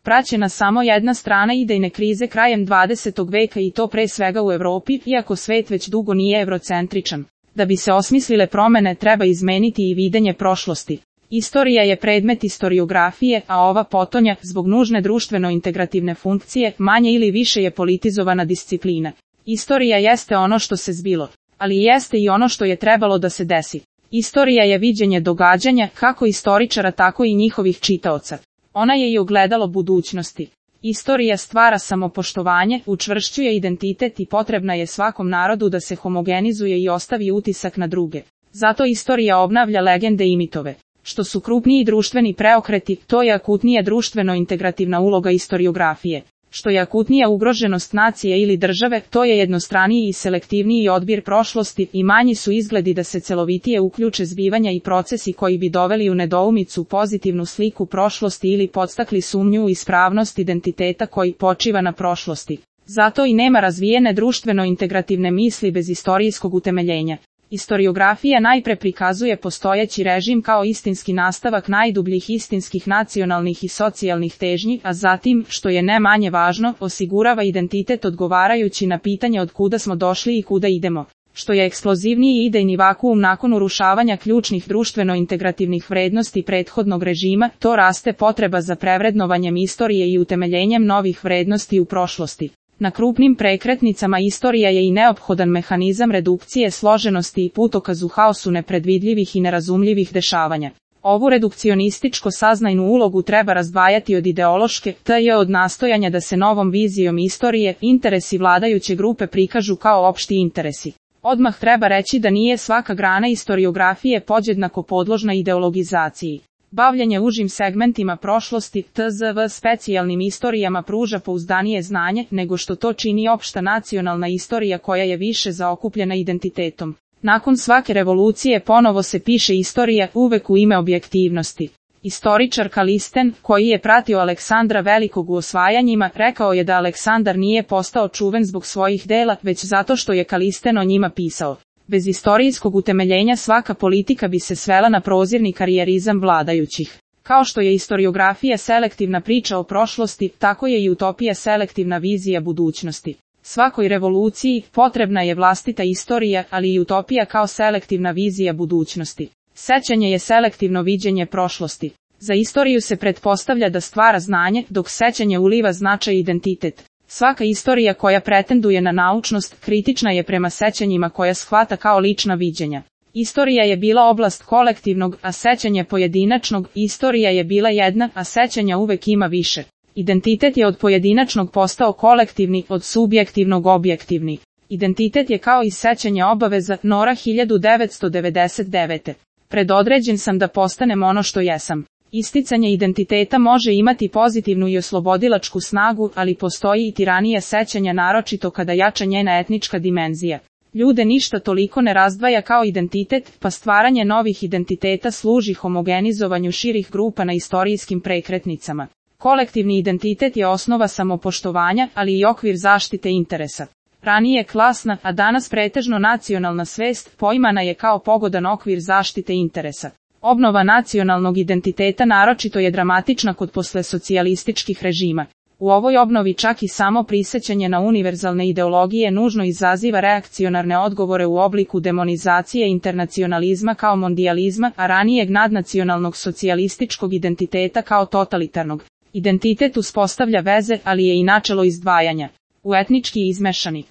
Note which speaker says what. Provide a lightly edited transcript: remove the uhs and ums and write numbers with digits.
Speaker 1: praćena samo jedna strana idejne krize krajem 20. veka i to pre svega u Evropi, iako svet već dugo nije evrocentričan. Da bi se osmislile promene treba izmeniti i videnje prošlosti. Istorija je predmet istoriografije, a ova potonja, zbog nužne društveno-integrativne funkcije, manje ili više je politizovana disciplina. Istorija jeste ono što se zbilo, ali jeste i ono što je trebalo da se desi. Istorija je viđenje događanja, kako istoričara tako i njihovih čitaoca. Ona je i ogledalo budućnosti. Istorija stvara samopoštovanje, učvršćuje identitet i potrebna je svakom narodu da se homogenizuje i ostavi utisak na druge. Zato istorija obnavlja legende i mitove. Što su krupniji društveni preokreti, to je akutnija društveno-integrativna uloga istoriografije. Što je akutnija ugroženost nacije ili države, to je jednostraniji i selektivniji odbir prošlosti i manji su izgledi da se celovitije uključe zbivanja i procesi koji bi doveli u nedoumicu pozitivnu sliku prošlosti ili podstakli sumnju u ispravnost identiteta koji počiva na prošlosti. Zato i nema razvijene društveno-integrativne misli bez istorijskog utemeljenja. Istoriografija najpre prikazuje postojeći režim kao istinski nastavak najdubljih istinskih nacionalnih i socijalnih težnji, a zatim, što je ne manje važno, osigurava identitet odgovarajući na pitanje od kuda smo došli i kuda idemo. Što je eksplozivniji idejni vakuum nakon urušavanja ključnih društveno-integrativnih vrednosti prethodnog režima, to raste potreba za prevrednovanjem istorije i utemeljenjem novih vrednosti u prošlosti. Na krupnim prekretnicama istorija je i neophodan mehanizam redukcije složenosti i putokaz u haosu nepredvidljivih i nerazumljivih dešavanja. Ovu redukcionističko saznajnu ulogu treba razdvajati od ideološke, t.j. od nastojanja da se novom vizijom istorije interesi vladajuće grupe prikažu kao opšti interesi. Odmah treba reći da nije svaka grana istoriografije podjednako podložna ideologizaciji. Bavljenje užim segmentima prošlosti, tzv. Specijalnim istorijama pruža pouzdanije znanje, nego što to čini opšta nacionalna istorija koja je više zaokupljena identitetom. Nakon svake revolucije ponovo se piše istorija, uvek u ime objektivnosti. Istoričar Kalisten, koji je pratio Aleksandra Velikog u osvajanjima, rekao je da Aleksandar nije postao čuven zbog svojih dela, već zato što je Kalisten o njima pisao. Bez istorijskog utemeljenja svaka politika bi se svela na prozirni karijerizam vladajućih. Kao što je istoriografija selektivna priča o prošlosti, tako je i utopija selektivna vizija budućnosti. Svakoj revoluciji potrebna je vlastita istorija, ali i utopija kao selektivna vizija budućnosti. Sećanje je selektivno viđenje prošlosti. Za istoriju se pretpostavlja da stvara znanje, dok sećanje uliva značaj i identitet. Svaka istorija koja pretenduje na naučnost, kritična je prema sećanjima koja shvata kao lična viđenja. Istorija je bila oblast kolektivnog, a sećanje pojedinačnog, istorija je bila jedna, a sećanja uvek ima više. Identitet je od pojedinačnog postao kolektivni, od subjektivnog objektivni. Identitet je kao i sećanje obaveza, Nora 1999. Predodređen sam da postanem ono što jesam. Isticanje identiteta može imati pozitivnu i oslobodilačku snagu, ali postoji i tiranija sećanja naročito kada jača njena etnička dimenzija. Ljude ništa toliko ne razdvaja kao identitet, pa stvaranje novih identiteta služi homogenizovanju širih grupa na istorijskim prekretnicama. Kolektivni identitet je osnova samopoštovanja, ali i okvir zaštite interesa. Ranije klasna, a danas pretežno nacionalna svest, poimana je kao pogodan okvir zaštite interesa. Obnova nacionalnog identiteta naročito je dramatična kod poslesocijalističkih režima. U ovoj obnovi čak i samo prisećanje na univerzalne ideologije nužno izaziva reakcionarne odgovore u obliku demonizacije internacionalizma kao mondijalizma, a ranijeg nadnacionalnog socijalističkog identiteta kao totalitarnog. Identitet uspostavlja veze, ali je i načelo izdvajanja. U etnički izmešani